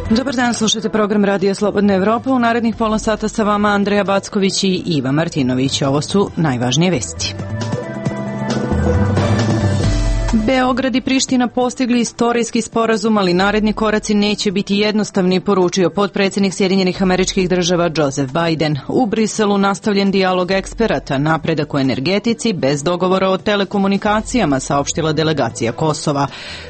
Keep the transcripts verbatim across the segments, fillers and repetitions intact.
Dobar dan, slušajte program Radija Slobodna Evropa. U narednih pola sata sa vama Andreja Backović i Iva Martinović. Ovo su najvažnije vesti. Beograd i Priština postigli istorijski sporazum, ali naredni koraci neće biti jednostavni, poručio potpredsjednik Sjedinjenih Američkih Država Joseph Biden. U Briselu nastavljen dijalog eksperata, napredak u energetici bez dogovora o telekomunikacijama, saopštila delegacija Kosova.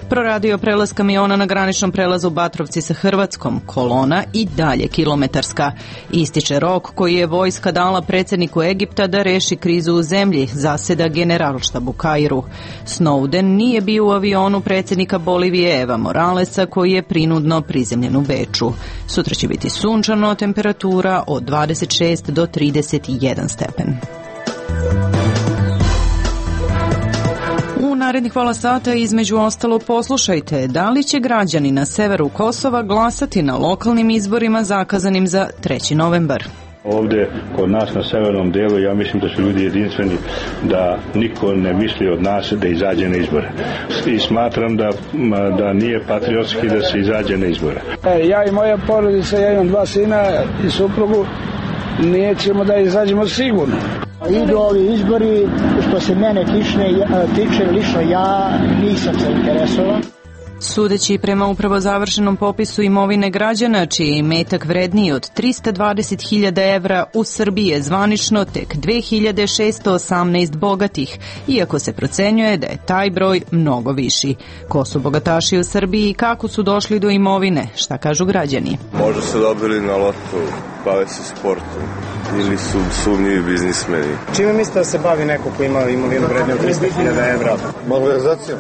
Proradio prelaz kamiona na graničnom prelazu Batrovci sa Hrvatskom, kolona i dalje kilometarska. Ističe rok koji je vojska dala predsjedniku Egipta da reši krizu u zemlji, zaseda Generalštab u Kairu. Snowden nije bio u avionu predsjednika Bolivije Eva Moralesa koji je prinudno prizemljen u Beču. Sutra će biti sunčano, temperatura od dvadeset šest do trideset jedan stepen. U narednih pola sata između ostalo poslušajte da li će građani na severu Kosova glasati na lokalnim izborima zakazanim za treći novembar. Ovdje kod nas na severnom dijelu ja mislim da su ljudi jedinstveni, da niko ne misli od nas da izađe na izbore. I smatram da, da nije patriotski da se izađe na izbore. E, ja i moja porodica, ja imam dva sina i suprugu, nećemo da izađemo sigurno. Idu ovi izbori, što se mene tične, tiče lično ja nisam zainteresovan. Sudeći prema upravo završenom popisu imovine građana, čiji je imetak vredniji od trista dvadeset hiljada evra, u Srbiji je zvanično tek dve hiljade šesto osamnaest bogatih, iako se procenjuje da je taj broj mnogo viši. Ko su bogataši u Srbiji i kako su došli do imovine? Šta kažu građani? Možda su dobili na lotu, bave se sportom ili su sumnjivi biznismeni. Čime mislite da se bavi neko ko ima imovinu vredniju od trista hiljada evra? Malverzacijom.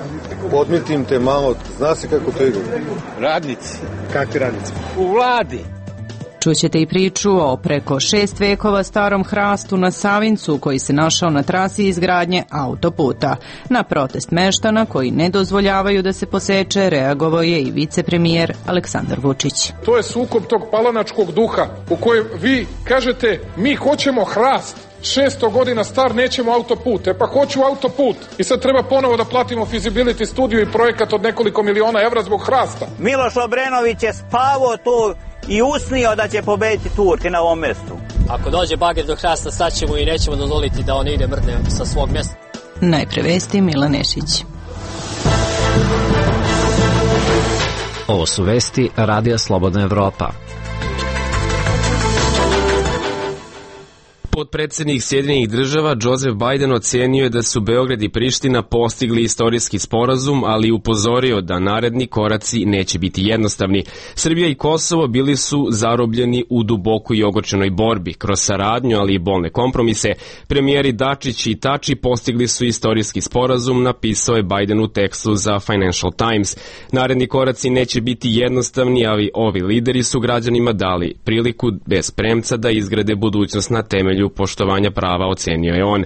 Podmitim te malo, zna se kako to ide. Radnici. Kakvi radnici? U vladi. Čućete i priču o preko šest vekova starom hrastu na Savincu koji se našao na trasi izgradnje autoputa. Na protest meštana koji ne dozvoljavaju da se poseče reagovao je i vicepremijer Aleksandar Vučić. To je sukob tog palanačkog duha u kojem vi kažete mi hoćemo hrast. šesto godina star, nećemo autoput. E pa hoću autoput. I sad treba ponovo da platimo feasibility studiju i projekat od nekoliko miliona evra zbog hrasta. Miloš Obrenović je spavao tu i usnio da će pobediti Turke na ovom mjestu. Ako dođe bager do hrasta, staćemo i nećemo dozvoliti da on ide mrdne sa svog mjesta. Najpre vesti, Milan Nešić. Ovo su vesti Radija Slobodna Evropa. Potpredsjednik Sjedinjenih Država Joseph Biden ocenio je da su Beograd i Priština postigli istorijski sporazum, ali upozorio da naredni koraci neće biti jednostavni. Srbija i Kosovo bili su zarobljeni u dubokoj i ogorčenoj borbi. Kroz saradnju, ali i bolne kompromise, premijeri Dačić i Tači postigli su istorijski sporazum, napisao je Biden u tekstu za Financial Times. Naredni koraci neće biti jednostavni, ali ovi lideri su građanima dali priliku bez premca da izgrade budućnost na temelju poštovanja prava, ocenio je on.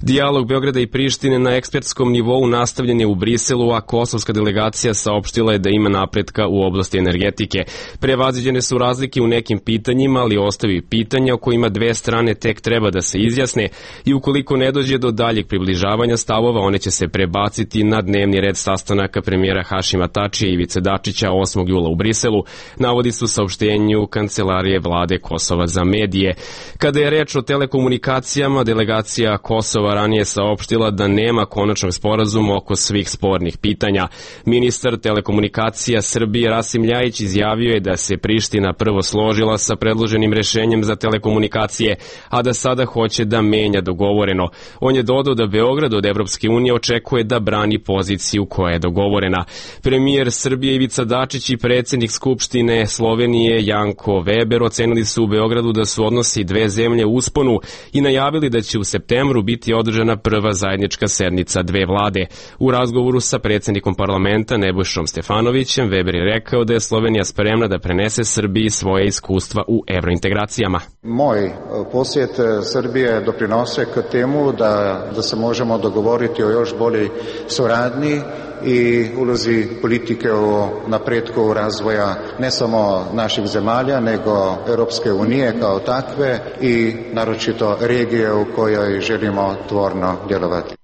Dijalog Beograda i Prištine na ekspertskom nivou nastavljen je u Briselu, a kosovska delegacija saopštila je da ima napretka u oblasti energetike. Prevaziđene su razlike u nekim pitanjima, ali ostaju pitanja o kojima dve strane tek treba da se izjasne i ukoliko ne dođe do daljeg približavanja stavova, one će se prebaciti na dnevni red sastanaka premijera Hašima Tačija i Ivice Dačića osmog jula u Briselu, navodi su saopštenju Kancelarije vlade Kosova za medije. Kada je reč o telekomunikacijama, delegacija Kosova ranije saopštila da nema konačnog sporazuma oko svih spornih pitanja. Ministar telekomunikacija Srbije Rasim Ljajić izjavio je da se Priština prvo složila sa predloženim rešenjem za telekomunikacije, a da sada hoće da menja dogovoreno. On je dodao da Beograd od Evropske unije očekuje da brani poziciju koja je dogovorena. Premijer Srbije Ivica Dačić i predsjednik Skupštine Slovenije Janko Weber ocenili su u Beogradu da su odnosi dve zemlje u usponu i najavili da će u septembru biti održana prva zajednička sednica dve vlade. U razgovoru sa predsjednikom parlamenta Nebojšom Stefanovićem, Weber je rekao da je Slovenija spremna da prenese Srbiji svoje iskustva u evrointegracijama. Moj posjet Srbije doprinose k temu da, da se možemo dogovoriti o još boljoj suradnji i ulozi politike o napretku razvoja ne samo naših zemalja, nego Europske unije kao takve i naročito regije u kojoj želimo tvorno djelovati.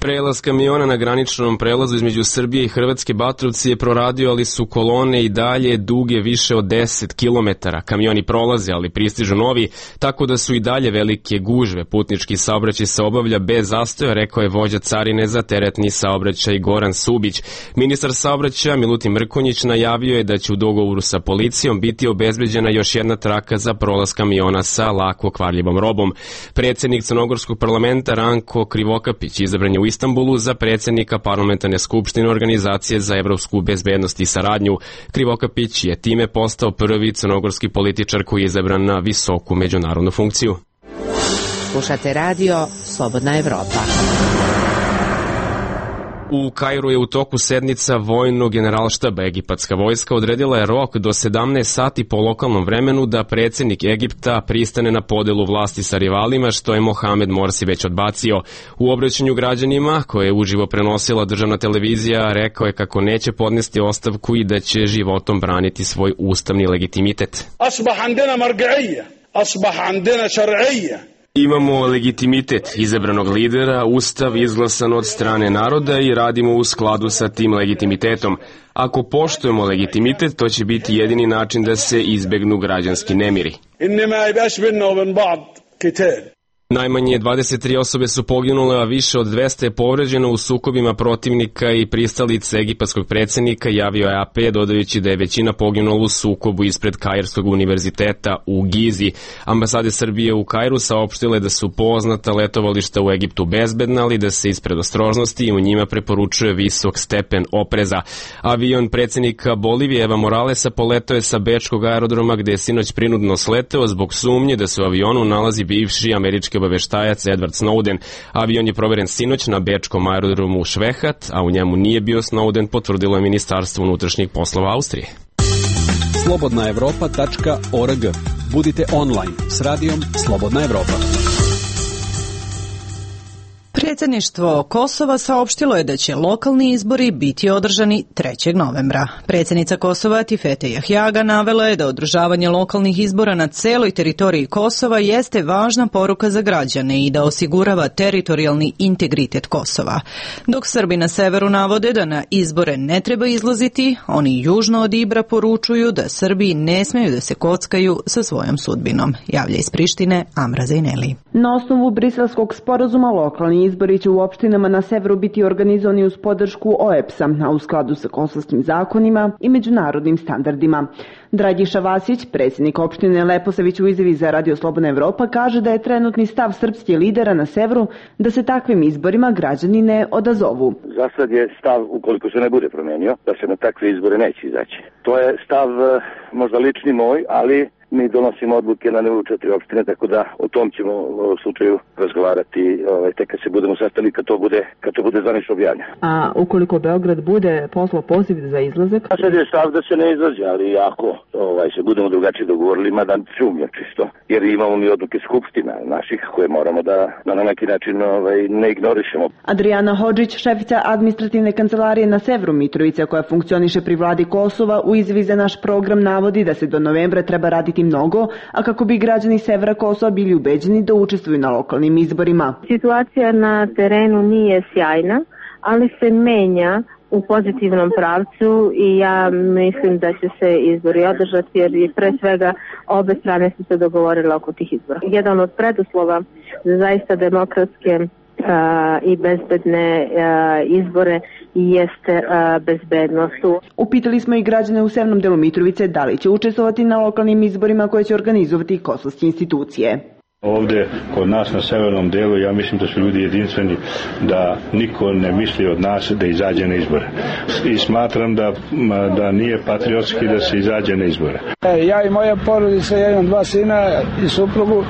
Prelaz kamiona na graničnom prelazu između Srbije i Hrvatske Batrovci je proradio, ali su kolone i dalje duge više od deset kilometara. Kamioni prolaze, ali pristižu novi, tako da su i dalje velike gužve. Putnički saobraćaj se obavlja bez zastoja, rekao je vođa carine za teretni saobraćaj Goran Subić. Ministar saobraćaja Milutin Mrkonjić najavio je da će u dogovoru sa policijom biti obezbeđena još jedna traka za prolaz kamiona sa lako kvarljivom robom. Predsednik Crnogorskog parlamenta Ranko Krivokapić izabran je u Istanbulu za predsjednika parlamentarne skupštine Organizacije za evropsku bezbednost i saradnju. Krivokapić je time postao prvi crnogorski političar koji je izabran na visoku međunarodnu funkciju. Slušate radio Slobodna Evropa. U Kairu je u toku sednica vojnog generalštaba. Egipatska vojska odredila je rok do sedamnaest sati po lokalnom vremenu da predsjednik Egipta pristane na podelu vlasti sa rivalima, što je Mohamed Morsi već odbacio. U obraćanju građanima, koje je uživo prenosila državna televizija, rekao je kako neće podnesti ostavku i da će životom braniti svoj ustavni legitimitet. Asbah andena marga'ija, asbah andena šar'ija. Imamo legitimitet izabranog lidera, ustav izglasan od strane naroda i radimo u skladu sa tim legitimitetom. Ako poštujemo legitimitet, to će biti jedini način da se izbegnu građanski nemiri. Najmanje dvadeset tri osobe su poginule, a više od dvesta je povređeno u sukobima protivnika i pristalice egipatskog predsjednika, javio je A P, dodajući da je većina poginula u sukobu ispred Kairskog univerziteta u Gizi. Ambasade Srbije u Kairu saopštile da su poznata letovališta u Egiptu bezbedna, ali da se iz predostrožnosti u njima preporučuje visok stepen opreza. Avion predsjednika Bolivije Eva Moralesa poletao je sa bečkog aerodroma, gde je sinoć prinudno sleteo zbog sumnje da se u avionu nalazi bivši američki obaveštajac Edward Snowden. Avion je proveren sinoć na bečkom aerodromu Švehat, a u njemu nije bio Snowden, potvrdilo je Ministarstvo unutrašnjih poslova Austrije. slobodna evropa tačka org. Budite online s radijom Slobodna Evropa. Predsjedništvo Kosova saopštilo je da će lokalni izbori biti održani trećeg novembra. Predsjednica Kosova Tifete Jahjaga navela je da održavanje lokalnih izbora na celoj teritoriji Kosova jeste važna poruka za građane i da osigurava teritorijalni integritet Kosova. Dok Srbi na severu navode da na izbore ne treba izlaziti, oni južno od Ibra poručuju da Srbi ne smeju da se kockaju sa svojom sudbinom. Javlja iz Prištine Amra Zejneli. Na osnovu briselskog sporazuma lokalni izbori će u opštinama na severu biti organizovani uz podršku O E P S-a, a u skladu sa kosovskim zakonima i međunarodnim standardima. Dragiša Vasić, predsjednik opštine Leposavić u izjavi za Radio Slobodna Evropa, kaže da je trenutni stav srpskih lidera na severu da se takvim izborima građani ne odazovu. Za sad je stav, ukoliko se ne bude promenio, da se na takve izbore neće izaći. To je stav možda lični moj, ali mi donosimo odluke na nivou četiri opštine, tako da o tom ćemo u slučaju razgovarati ovaj, tek kad se budemo sastali, kad to bude, kad to bude zvanično objavljeno. A ukoliko Beograd bude poslao poziv za izlazak? A sad je stav da se ne izlazi, ali ako ovaj, se budemo drugačije dogovorili, mada sumnjam čisto, jer imamo mi odluke skupština naših koje moramo da, da na neki način ovaj, ne ignorišemo. Adriana Hodžić, šefica administrativne kancelarije na severu Mitrovice, koja funkcioniše pri vladi Kosova, u izjavi za naš program navodi da se do novembra treba raditi mnogo, a kako bi građani severa Kosova bili ubeđeni da učestvuju na lokalnim izborima. Situacija na terenu nije sjajna, ali se menja u pozitivnom pravcu i ja mislim da će se izbori održati, jer i pre svega obe strane su se dogovorile oko tih izbora. Jedan od preduslova za zaista demokratske Uh, i bezbedne uh, izbore jeste uh, bezbednost. Upitali smo i građane u severnom delu Mitrovice da li će učestvovati na lokalnim izborima koje će organizovati kosovske institucije. Ovde kod nas na severnom delu ja mislim da su ljudi jedinstveni, da niko ne misli od nas da izađe na izbore. I smatram da, da nije patriotski da se izađe na izbore. Ja i moja porodica, ja imam dva sina i suprugu,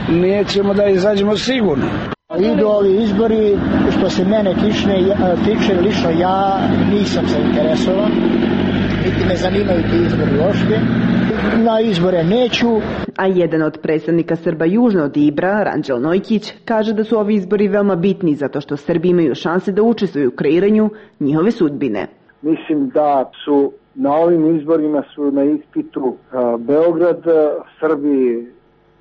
nećemo da izađemo sigurno. Idu ovi izbori, što se mene tiče, tiče lično ja nisam zainteresovan, niti me zanimaju ti izbori uopšte. Na izbore neću. A jedan od predstavnika Srba južno od Ibra, Ranđel Nojkić, kaže da su ovi izbori veoma bitni zato što Srbi imaju šanse da učestvuju u kreiranju njihove sudbine. Mislim da su na ovim izborima su na ispitu Beograd, Srbi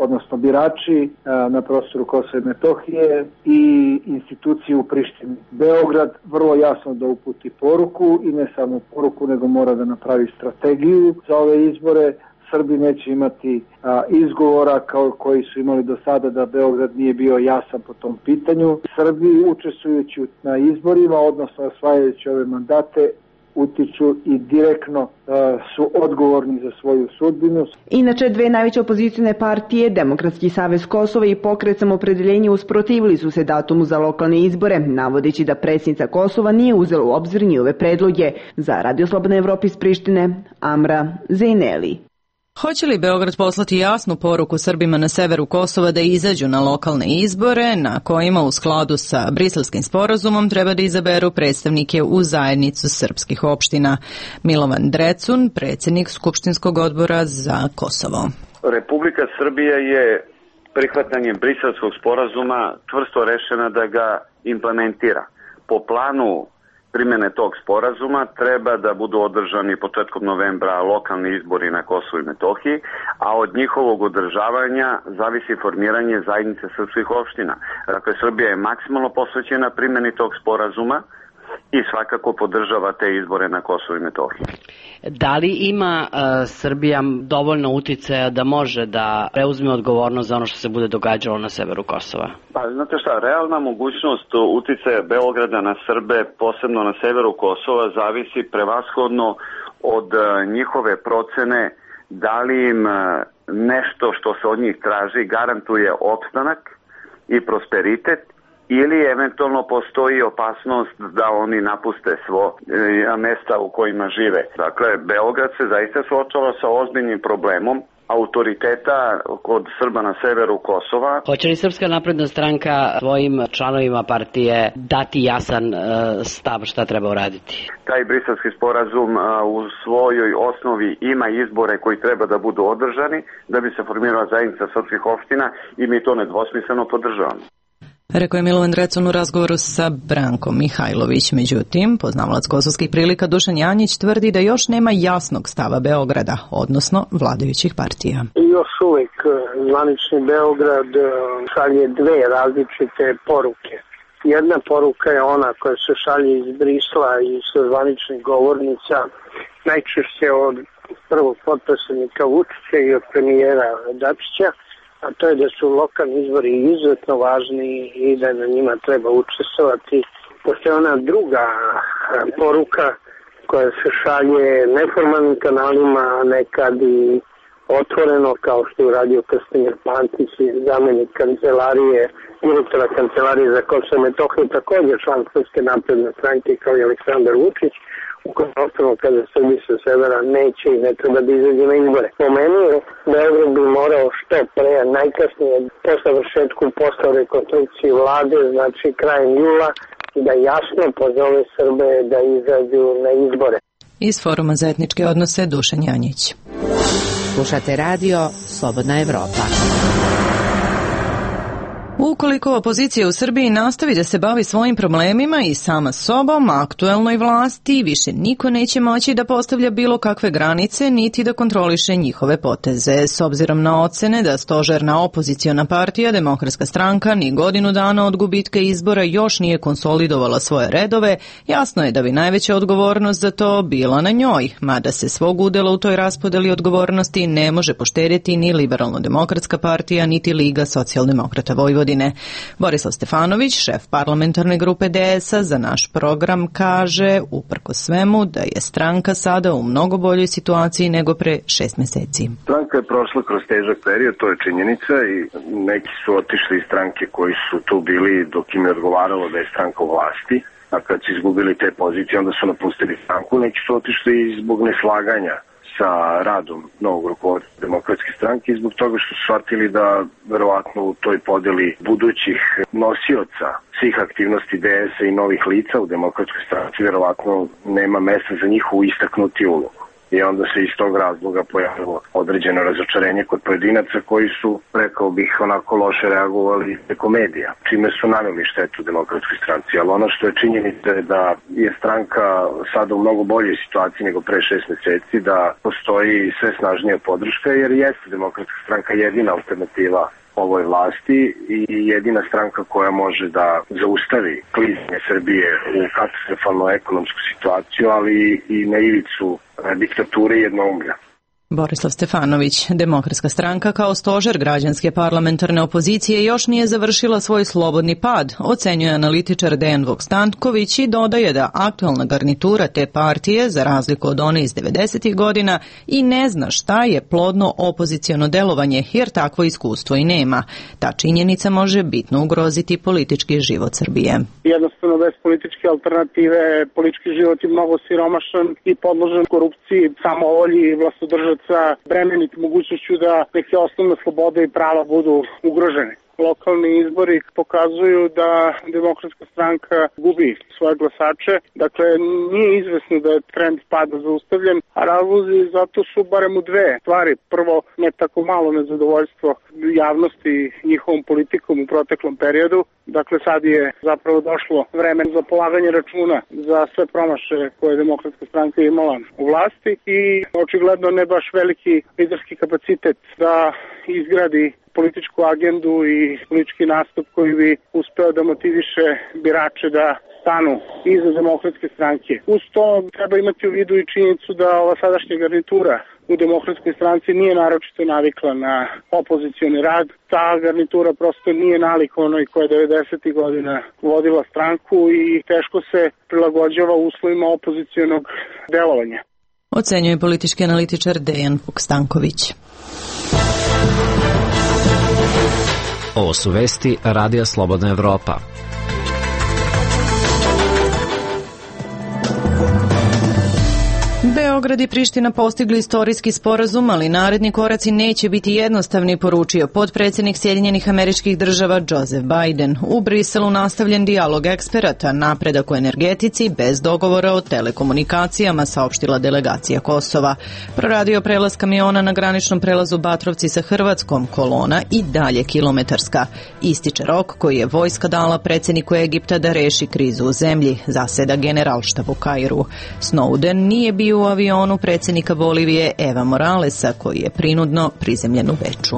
odnosno birači na prostoru Kosova i Metohije i institucije u Prištini. Beograd vrlo jasno da uputi poruku i ne samo poruku, nego mora da napravi strategiju za ove izbore. Srbi neće imati a, izgovora kao koji su imali do sada da Beograd nije bio jasan po tom pitanju. Srbi učestvujući na izborima, odnosno osvajajući ove mandate, utiču i direktno uh, su odgovorni za svoju sudbinu. Inače, dve najveće opozicijne partije, Demokratski savez Kosova i Pokret Samoopredeljenja, usprotivili su se datumu za lokalne izbore, navodeći da predsjednica Kosova nije uzela u obzir njihove predloge. Za Radio Slobodna Evropa iz Prištine, Amra Zejneli. Hoće li Beograd poslati jasnu poruku Srbima na severu Kosova da izađu na lokalne izbore, na kojima u skladu sa Briselskim sporazumom treba da izaberu predstavnike u zajednicu srpskih opština? Milovan Drecun, predsjednik Skupštinskog odbora za Kosovo. Republika Srbija je prihvatanjem Briselskog sporazuma čvrsto rešena da ga implementira. Po planu primjene tog sporazuma treba da budu održani početkom novembra lokalni izbori na Kosovu i Metohiji, a od njihovog održavanja zavisi formiranje zajednice srpskih opština. Dakle, Srbija je maksimalno posvećena primjeni tog sporazuma i svakako podržava te izbore na Kosovu i Metohiji. Da li ima uh, Srbija dovoljno uticaja da može da preuzme odgovornost za ono što se bude događalo na severu Kosova? Pa, znate šta, realna mogućnost uticaja Beograda na Srbe, posebno na severu Kosova, zavisi prevashodno od uh, njihove procene da li im uh, nešto što se od njih traži garantuje opstanak i prosperitet, ili eventualno postoji opasnost da oni napuste svo e, mesta u kojima žive. Dakle, Beograd se zaista suočava sa ozbiljnim problemom autoriteta kod Srba na severu Kosova. Hoće li Srpska napredna stranka svojim članovima partije dati jasan e, stav šta treba uraditi? Taj briselski sporazum a, u svojoj osnovi ima izbore koji treba da budu održani da bi se formirala zajednica srpskih opština i mi to nedvosmisleno podržavamo. Rekao je Milovan Drecun u razgovoru sa Brankom Mihajlović. Međutim, poznavalac kosovskih prilika Dušan Janjić tvrdi da još nema jasnog stava Beograda, odnosno vladajućih partija. Još uvijek zvanični Beograd šalje dve različite poruke. Jedna poruka je ona koja se šalje iz Brisla i sa zvaničnih govornica, najčešće od prvog potpredsjednika Vučića i od premijera Dačića, a to je da su lokalni izbori izuzetno važni i da na njima treba učestvovati. Postoje ona druga poruka koja se šalje neformalnim kanalima, nekad i otvoreno, kao što je uradio Krstimir Pantić, zamenik kancelarije, direktora kancelarije za Kosovo i Metohiju, također član Srpske napredne stranke kao i Aleksandar Vučić, u kojem osnovno kada Srbi sa severa neće i ne treba da izađe na izbore. Po meni je Beograd bi morao što pre, najkasnije po završetku posla rekonstrukcije vlade, znači krajem jula, da jasno pozove Srbe da izađu na izbore. Iz Foruma za etničke odnose Dušan Janjić. Slušate radio Slobodna Evropa. Ukoliko opozicija u Srbiji nastavi da se bavi svojim problemima i sama sobom, aktuelnoj vlasti, više niko neće moći da postavlja bilo kakve granice niti da kontroliše njihove poteze. S obzirom na ocene da stožerna opoziciona partija Demokratska stranka ni godinu dana od gubitka izbora još nije konsolidovala svoje redove, jasno je da bi najveća odgovornost za to bila na njoj, mada se svog udela u toj raspodeli odgovornosti ne može poštedjeti ni Liberalno-demokratska partija, niti Liga socijaldemokrata Vojvodine. Borislav Stefanović, šef parlamentarne grupe D S A, za naš program kaže, uprkos svemu, da je stranka sada u mnogo boljoj situaciji nego pre šest meseci. Stranka je prošla kroz težak period, to je činjenica, i neki su otišli iz stranke koji su tu bili dok im je odgovaralo da je stranka u vlasti, a kad su izgubili te pozicije, onda su napustili stranku. Neki su otišli zbog neslaganja sa radom novog rukovodstva Demokratske stranke i zbog toga što su shvatili da verovatno u toj podeli budućih nosioca svih aktivnosti D S A i novih lica u Demokratskoj stranci verovatno nema mesta za njihovu istaknuti ulogu. i onda se iz tog razloga pojavilo određeno razočarenje kod pojedinaca koji su, rekao bih, onako loše reagovali preko medija, čime su naneli štetu Demokratskoj stranci. Ali ono što je činjenica je da je stranka sada u mnogo boljoj situaciji nego pre šest meseci, da postoji sve snažnija podrška, jer jeste Demokratska stranka jedina alternativa ovoj vlasti i jedina stranka koja može da zaustavi klizanje Srbije u katastrofalnu ekonomsku situaciju, ali i na ivicu diktature i jednoumlja. Borislav Stefanović, Demokratska stranka kao stožer građanske parlamentarne opozicije još nije završila svoj slobodni pad, ocenjuje analitičar Dejan Vukstanković i dodaje da aktualna garnitura te partije, za razliku od one iz devedesetih godina, i ne zna šta je plodno opoziciono delovanje, jer takvo iskustvo i nema. Ta činjenica može bitno ugroziti politički život Srbije. Jednostavno, bez političke alternative, politički život je mnogo siromašan i podložen korupciji, samovolji i vlastodržaca, bremeniti mogućnošću da neke osnovne slobode i prava budu ugrožene. Lokalni izbori pokazuju da Demokratska stranka gubi svoje glasače. Dakle, nije izvesno da je trend pada zaustavljen, a razlozi zato su barem u dve stvari. Prvo, ne tako malo nezadovoljstvo javnosti njihovom politikom u proteklom periodu. Dakle, sad je zapravo došlo vreme za polaganje računa za sve promaše koje je Demokratska stranka imala u vlasti i očigledno ne baš veliki liderski kapacitet da izgradi političku agendu i politički nastup koji bi uspeo da motiviše birače da stanu iza Demokratske stranke. Uz to treba imati u vidu i činjenicu da ova sadašnja garnitura u Demokratskoj stranci nije naročito navikla na opozicioni rad. Ta garnitura prosto nije nalik onoj koja je devedesetih godina vodila stranku i teško se prilagođava uslovima opozicionog delovanja. Ocenjuje politički analitičar Dejan Vukstanković. Ovo su vesti Radija Slobodna Evropa. Beograd i Priština postigli istorijski sporazum, ali naredni koraci neće biti jednostavni, poručio potpredsjednik Sjedinjenih Američkih Država Joseph Biden. U Briselu nastavljen dijalog eksperata, napredak u energetici bez dogovora o telekomunikacijama, saopštila delegacija Kosova. Proradio prelaz kamiona na graničnom prelazu Batrovci sa Hrvatskom, kolona i dalje kilometarska. Ističe rok koji je vojska dala predsjedniku Egipta da reši krizu u zemlji, zaseda generalštab u Kairu. Snowden nije bio u avionu predsjednika Bolivije Eva Moralesa, koji je prinudno prizemljen u Beču.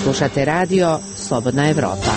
Slušate radio Slobodna Evropa.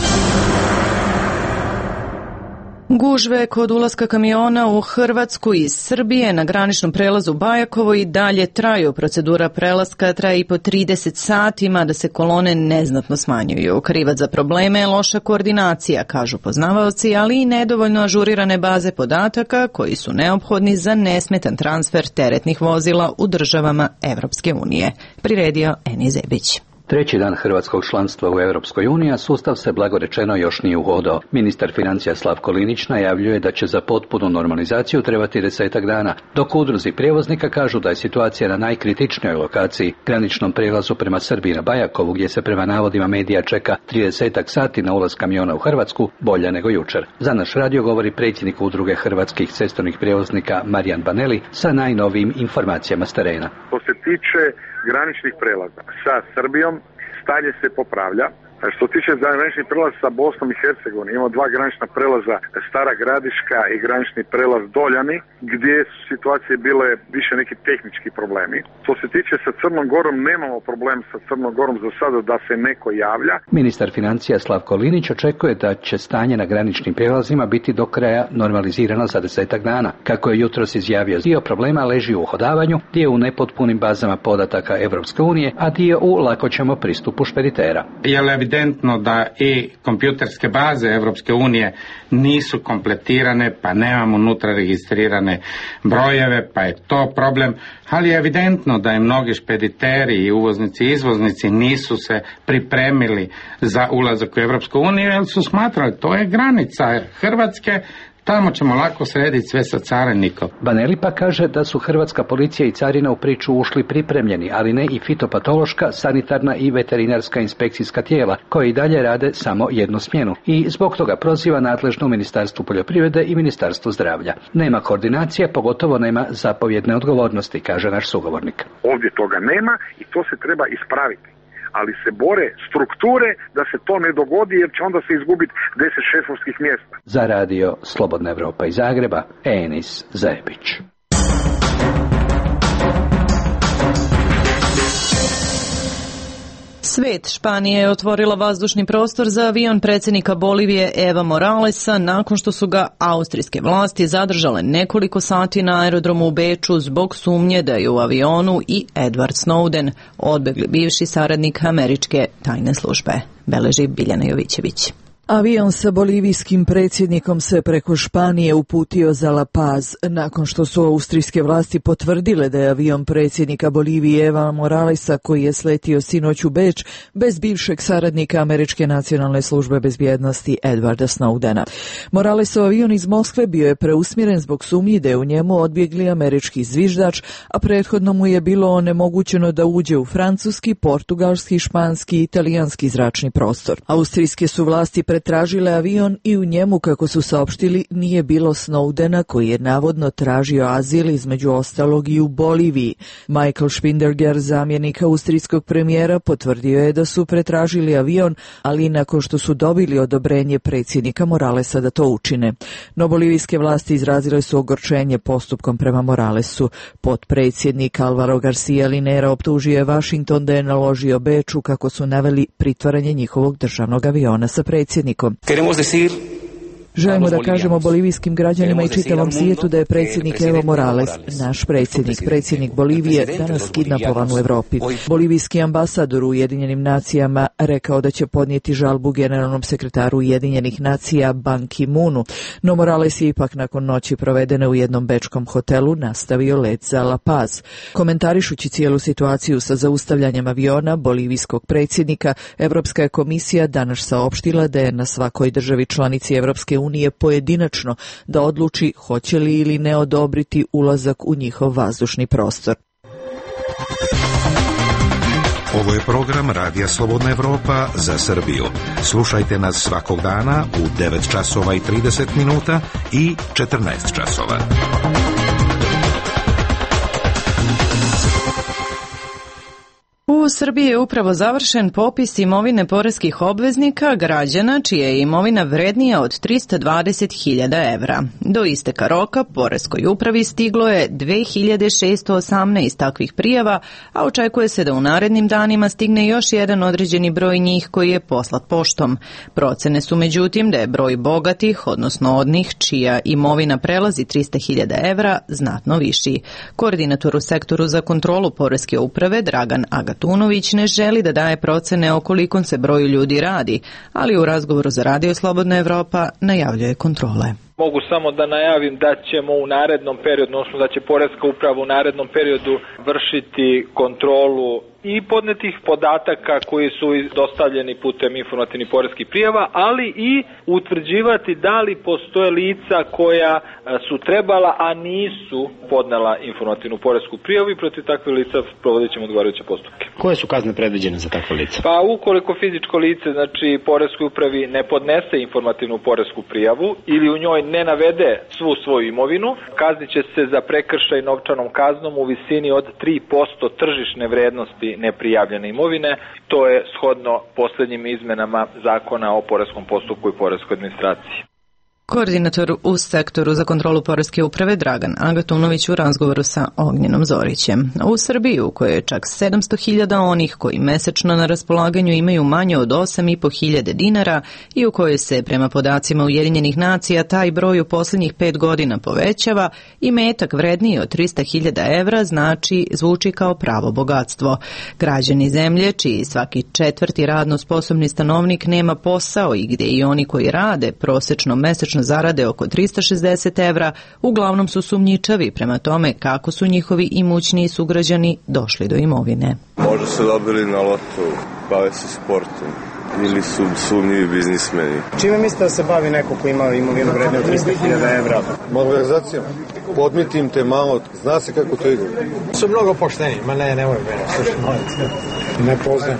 Gužve kod ulaska kamiona u Hrvatsku iz Srbije na graničnom prelazu Bajakovo i dalje traju. Procedura prelaska traje i po trideset sati, mada se kolone neznatno smanjuju. Krivac za probleme je loša koordinacija, kažu poznavaoci, ali i nedovoljno ažurirane baze podataka koji su neophodni za nesmetan transfer teretnih vozila u državama Evropske unije. Priredio Eni Zebić. Treći dan hrvatskog članstva u Europskoj uniji, a sustav se blagorečeno još nije uhodao. Ministar financija Slavko Linić najavljuje da će za potpunu normalizaciju trebati desetak dana, dok udruzi prijevoznika kažu da je situacija na najkritičnijoj lokaciji, graničnom prijelazu prema Srbiji na Bajakovu, gdje se prema navodima medija čeka tridesetak sati na ulaz kamiona u Hrvatsku, bolja nego jučer. Za naš radio govori predsjednik udruge hrvatskih cestovnih prijevoznika Marijan Baneli sa najnovijim informacijama s terena. Što se tiče graničnih prelaza sa Srbijom, stanje se popravlja. Što se tiče graničnih prelaza sa Bosnom i Hercegovinom, imamo dva granična prelaza, Stara Gradiška i granični prelaz Doljani, gdje su situacije bile više neki tehnički problemi. Što se tiče sa Crnom Gorom, nemamo problem sa Crnom Gorom za sada da se neko javlja. Ministar financija Slavko Linić očekuje da će stanje na graničnim prijelazima biti do kraja normalizirano za desetak dana. Kako je jutros izjavio, dio problema leži u uhodavanju, dio u nepotpunim bazama podataka Evropske unije, a dio u lakoćemo pristupu špeditera. Je evidentno da i kompjuterske baze Evropske unije nisu kompletirane, pa nemamo unutra registrirane brojeve, pa je to problem, ali je evidentno da i mnogi špediteri i uvoznici i izvoznici nisu se pripremili za ulazak u Evropsku uniju, jer su smatrali to je granica Hrvatske, Tamo ćemo lako srediti sve sa carinikom. Baneli pa kaže da su hrvatska policija i carina u priču ušli pripremljeni, ali ne i fitopatološka, sanitarna i veterinarska inspekcijska tijela, koje i dalje rade samo jednu smjenu. I zbog toga proziva nadležno u Ministarstvu poljoprivrede i Ministarstvu zdravlja. Nema koordinacije, pogotovo nema zapovjedne odgovornosti, kaže naš sugovornik. Ovdje toga nema i to se treba ispraviti. Ali se bore strukture da se to ne dogodi, jer će onda se izgubiti deset šefovskih mjesta. Za radio Slobodna Evropa iz Zagreba, Enis Zajebić. Svet Španije je otvorila vazdušni prostor za avion predsjednika Bolivije Eva Moralesa nakon što su ga austrijske vlasti zadržale nekoliko sati na aerodromu u Beču zbog sumnje da je u avionu i Edward Snowden, odbegli bivši saradnik američke tajne službe, beleži Biljana Jovićević. Avion sa bolivijskim predsjednikom se preko Španije uputio za La Paz nakon što su austrijske vlasti potvrdile da je avion predsjednika Bolivije Eva Moralesa, koji je sletio sinoć u Beč, bez bivšeg saradnika američke nacionalne službe bezbjednosti Edwarda Snowdena. Moralesov avion iz Moskve bio je preusmjeren zbog sumnji da je u njemu odbjegli američki zviždač, a prethodno mu je bilo onemogućeno da uđe u francuski, portugalski, španski i italijanski zračni prostor. Austrijske su vlasti pretražile avion i u njemu, kako su saopštili, nije bilo Snowdena, koji je navodno tražio azil između ostalog i u Boliviji. Michael Spinderger, zamjenik austrijskog premijera, potvrdio je da su pretražili avion, ali nakon što su dobili odobrenje predsjednika Moralesa da to učine. No bolivijske vlasti izrazile su ogorčenje postupkom prema Moralesu. Potpredsjednik Alvaro Garcia Linera optužio je Washington da je naložio Beču, kako su naveli, pritvaranje njihovog državnog aviona sa predsjednikom. Želimo da kažemo bolivijskim građanima i čitavom svijetu da je predsjednik Evo Morales, naš predsjednik, predsjednik Bolivije, danas kidnapovan u Evropi. Bolivijski ambasador u Ujedinjenim nacijama rekao da će podnijeti žalbu generalnom sekretaru Ujedinjenih nacija Ban Ki-moonu, no Morales je ipak nakon noći provedene u jednom bečkom hotelu nastavio let za La Paz. Komentarišući cijelu situaciju sa zaustavljanjem aviona bolivijskog predsjednika, Evropska je komisija danas saopštila da je na svakoj državi članici Evropske unije pojedinačno da odluči hoće li ili ne odobriti ulazak u njihov vazdušni prostor. Ovo je program Radija Slobodna Evropa za Srbiju. Slušajte nas svakog dana u devet časova i trideset minuta i četrnaest časova. U Srbiji je upravo završen popis imovine poreskih obveznika, građana čija je imovina vrednija od trista dvadeset hiljada evra. Do isteka roka poreskoj upravi stiglo je dve hiljade šesto osamnaest takvih prijava, a očekuje se da u narednim danima stigne još jedan određeni broj njih koji je poslat poštom. Procene su međutim da je broj bogatih, odnosno onih čija imovina prelazi trista hiljada evra, znatno viši. Koordinator u sektoru za kontrolu poreske uprave Dragan Agatunović ne želi da daje procene o kolikom se broju ljudi radi, ali u razgovoru za Radio Slobodna Evropa najavljuje kontrole. Mogu samo da najavim da ćemo u narednom periodu, odnosno da će poreska uprava u narednom periodu vršiti kontrolu i podnetih podataka koji su dostavljeni putem informativnih poreskih prijava, ali i utvrđivati da li postoje lica koja su trebala, a nisu podnela informativnu poresku prijavu i protiv takvih lica provodit ćemo odgovarajuće postupke. Koje su kazne predviđene za takve lice? Pa ukoliko fizičko lice, znači poreskoj upravi, ne podnese informativnu poresku prijavu ili u njoj ne navede svu svoju imovinu, kaznit će se za prekršaj novčanom kaznom u visini od tri posto tržišne vrednosti neprijavljene imovine. To je shodno posljednjim izmenama Zakona o poreskom postupku i poreskoj administraciji. Koordinator u sektoru za kontrolu poreske uprave Dragan Agatunović u razgovoru sa Ognjenom Zorićem. U Srbiji, u kojoj je čak sedamsto hiljada onih koji mesečno na raspolaganju imaju manje od osam i po hiljade dinara i u kojoj se, prema podacima Ujedinjenih nacija, taj broj u posljednjih pet godina povećava, i metak vredniji od trista hiljada evra znači zvuči kao pravo bogatstvo. Građani zemlje, čiji svaki četvrti radno sposobni stanovnik nema posao i gdje i oni koji rade prosečno mesečno zarade oko trista šezdeset evra, uglavnom su sumnjičavi prema tome kako su njihovi imućniji sugrađani došli do imovine. Možda su dobili na lotu, bave se sportom. ili su sumnjivi biznismeni. Čime mislite da se bavi neko ko ima imovinu vrednu od trista hiljada evra? Malverzacijom. Podmitim te malo, zna se kako to ide. Su mnogo pošteni, ma ne, nemoj mene, slušaj, molim. Ne poznajem.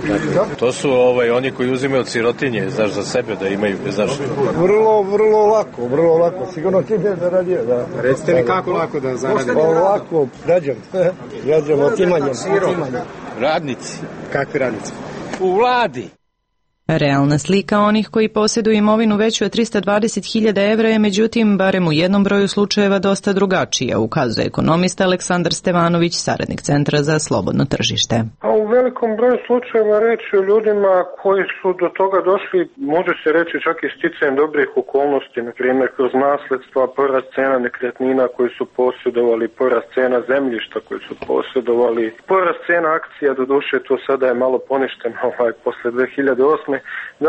To su ovaj, oni koji uzimaju od sirotinje, znaš, za sebe da imaju, znaš. Vrlo, vrlo lako, vrlo lako. Sigurno ti ne zaradio, da. Recite mi kako lako da zaradim? Pa lako, rađam. Rađam otimanjem. Radnici. Kakvi radnici? U vladi. Realna slika onih koji posjeduju imovinu veću od trista dvadeset hiljada evra je međutim barem u jednom broju slučajeva dosta drugačija, ukazuje ekonomista Aleksandar Stevanović, saradnik Centra za slobodno tržište. A u velikom broju slučajeva reći o ljudima koji su do toga došli, može se reći čak i sticajem dobrih okolnosti, na primjer kroz nasledstva, porast cena nekretnina koji su posjedovali, porast cena zemljišta koji su posjedovali, porast cena akcija, doduše to sada je malo poništeno ovaj, posle dve hiljade osme.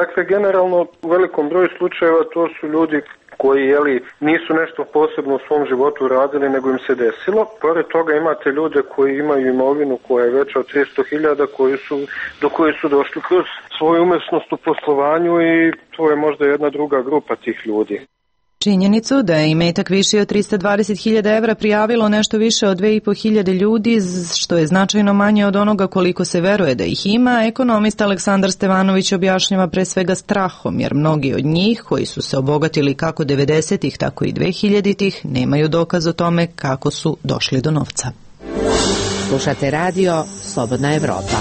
Dakle, generalno u velikom broju slučajeva to su ljudi koji jeli, nisu nešto posebno u svom životu radili, nego im se desilo. Pored toga imate ljude koji imaju imovinu koja je veća od tristo hiljada, koji su, do koje su došli kroz svoju umesnost u poslovanju i to je možda jedna druga grupa tih ljudi. Činjenicu da je imetak viši od trista dvadeset hiljada evra prijavilo nešto više od dve i po hiljade ljudi, što je značajno manje od onoga koliko se veruje da ih ima, ekonomista Aleksandar Stevanović objašnjava pre svega strahom, jer mnogi od njih koji su se obogatili kako devedesetih tako i dvehiljaditih nemaju dokaz o tome kako su došli do novca. Slušate radio Slobodna Evropa.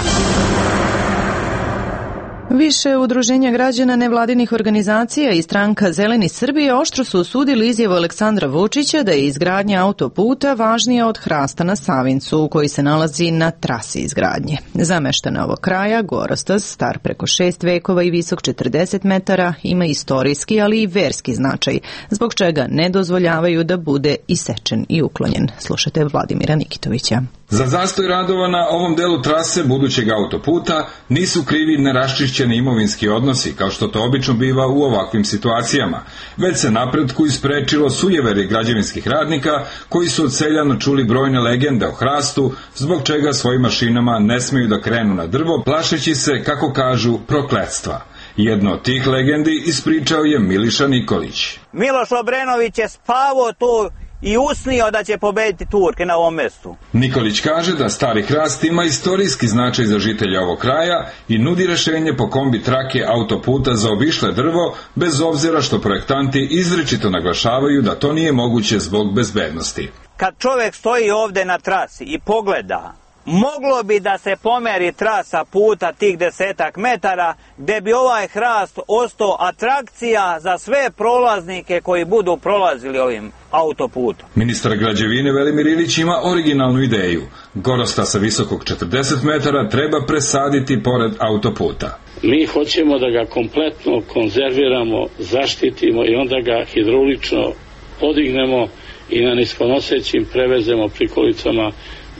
Više udruženja građana, nevladinih organizacija i stranka Zeleni Srbije oštro su osudili izjavu Aleksandra Vučića da je izgradnja autoputa važnija od hrasta na Savincu, koji se nalazi na trasi izgradnje. Za meštane ovog kraja, gorostaz, star preko šest vekova i visok četrdeset metara, ima istorijski, ali i verski značaj, zbog čega ne dozvoljavaju da bude isečen i uklonjen. Slušajte Vladimira Nikitovića. Za zastoj radova na ovom delu trase budućeg autoputa nisu krivi neraščišćeni imovinski odnosi, kao što to obično biva u ovakvim situacijama, već se napretku isprečilo sujeveri građevinskih radnika koji su od seljana čuli brojne legende o hrastu, zbog čega svojim mašinama ne smeju da krenu na drvo, plašeći se, kako kažu, prokletstva. Jedno od tih legendi ispričao je Miliša Nikolić. Miloš Obrenović je spavao tu i usnio da će pobediti Turke na ovom mestu. Nikolić kaže da stari hrast ima istorijski značaj za žitelja ovog kraja i nudi rešenje po kombi trake autoputa za obišle drvo, bez obzira što projektanti izričito naglašavaju da to nije moguće zbog bezbednosti. Kad čovjek stoji ovde na trasi i pogleda, moglo bi da se pomeri trasa puta tih desetak metara, gde bi ovaj hrast ostao atrakcija za sve prolaznike koji budu prolazili ovim autoputom. Ministar građevine Velimir Ilić ima originalnu ideju. Gorosta sa visokog četrdeset metara treba presaditi pored autoputa. Mi hoćemo da ga kompletno konzerviramo, zaštitimo i onda ga hidraulično podignemo i na niskonosećim prevezemo prikolicama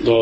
do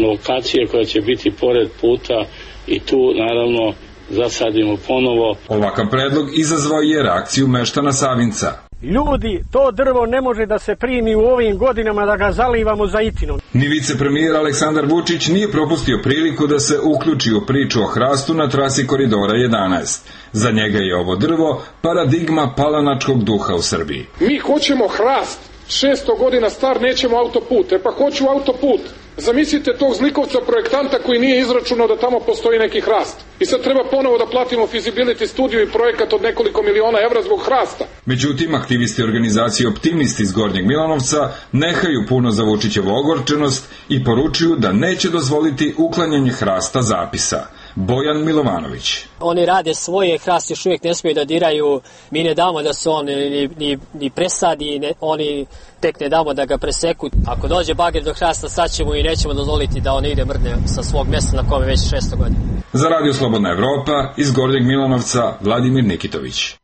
lokacije koja će biti pored puta i tu naravno zasadimo ponovo. Ovakav predlog izazvao je reakciju meštana Savinca. Ljudi, to drvo ne može da se primi u ovim godinama da ga zalivamo zaitinom. Ni vicepremijer Aleksandar Vučić nije propustio priliku da se uključi u priču o hrastu na trasi Koridora jedanaest. Za njega je ovo drvo paradigma palanačkog duha u Srbiji. Mi hoćemo hrast, šesto godina star, nećemo autoput, e pa hoću autoput. Zamislite tog zlikovca projektanta koji nije izračunao da tamo postoji neki hrast. I sad treba ponovo da platimo feasibility studiju i projekat od nekoliko miliona evra zbog hrasta. Međutim, aktivisti organizacije Optimisti iz Gornjeg Milanovca nehaju puno za Vučićevu ogorčenost i poručuju da neće dozvoliti uklanjanje hrasta zapisa. Bojan Milovanović. Oni rade svoje, hrast još uvijek ne smiju da diraju, mi ne damo da se on ni, ni, ni presadi, ne, oni tek ne damo da ga preseku. Ako dođe bager do hrasta, sad ćemo i nećemo dozvoliti da on ide mrdne sa svog mjesta na kome već šesto godina. Za Radio Slobodna Evropa iz Gornjeg Milanovca Vladimir Nikitović.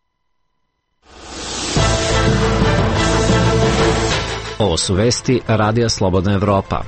Ovo su vesti Radija Slobodna Evropa.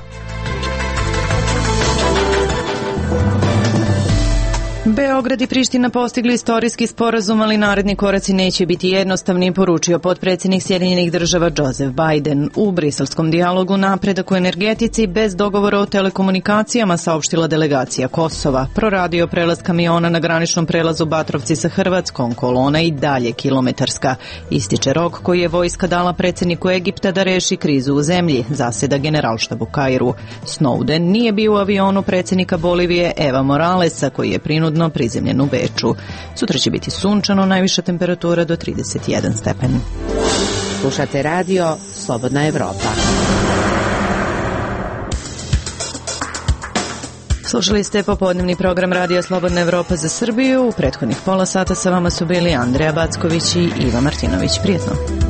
Beograd i Priština postigli istorijski sporazum, ali naredni koraci neće biti jednostavni, poručio potpredsjednik Sjedinjenih država Joseph Biden. U briselskom dijalogu napredak u energetici bez dogovora o telekomunikacijama, saopštila delegacija Kosova. Proradio prelaz kamiona na graničnom prelazu Batrovci sa Hrvatskom, kolona i dalje kilometarska. Ističe rok koji je vojska dala predsjedniku Egipta da reši krizu u zemlji, zaseda generalštab u Kairu. Snowden nije bio u avionu predsjednika Bolivije Eva Moralesa, koji je prinudno prizemljen u Beču. Sutra će biti sunčano, najviša temperatura do trideset jedan stepen. Slušate radio Slobodna Evropa. Slušali ste popodnevni program Radija Slobodna Evropa za Srbiju. U prethodnih pola sata sa vama su bili Andreja Backović i Iva Martinović. Prijetno.